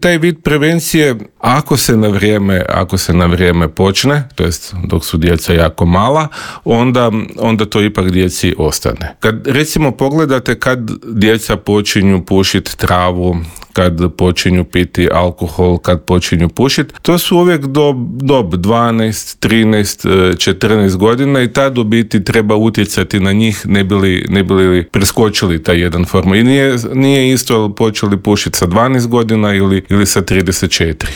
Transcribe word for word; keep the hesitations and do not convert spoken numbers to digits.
Taj vid prevencije, ako se na vrijeme, ako se na vrijeme počne, to jest dok su djeca jako mala, onda, onda to ipak djeci ostane. Kad recimo pogledate kad djeca počinju pušiti travu, kad počinju piti alkohol, kad počinju pušiti, to su uvijek do dob dvanaest, trinaest, četrnaest godina i tad u biti treba utjecati na njih ne bili, ne bili preskočili taj jedan formu. I nije, nije isto počeli pušiti sa dvanaest godina ili, ili sa trideset četiri.